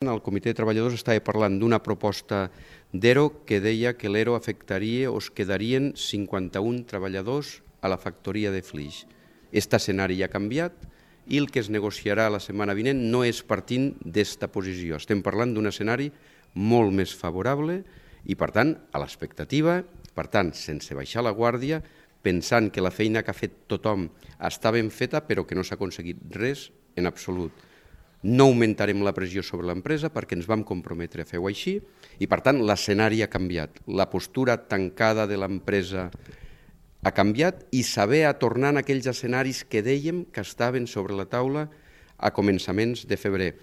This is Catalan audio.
El comitè de treballadors estava parlant d'una proposta d'ERO que deia que l'ERO afectaria o es quedarien 51 treballadors a la factoria de Flix. Aquest escenari ja ha canviat i el que es negociarà la setmana vinent no és partint d'esta posició. Estem parlant d'un escenari molt més favorable i, per tant, a l'expectativa, per tant, sense baixar la guàrdia, pensant que la feina que ha fet tothom està ben feta però que no s'ha aconseguit res en absolut. No augmentarem la pressió sobre l'empresa perquè ens vam comprometre a fer-ho així i, per tant, l'escenari ha canviat. La postura tancada de l'empresa ha canviat i saber a tornar a aquells escenaris que dèiem que estaven sobre la taula a començaments de febrer.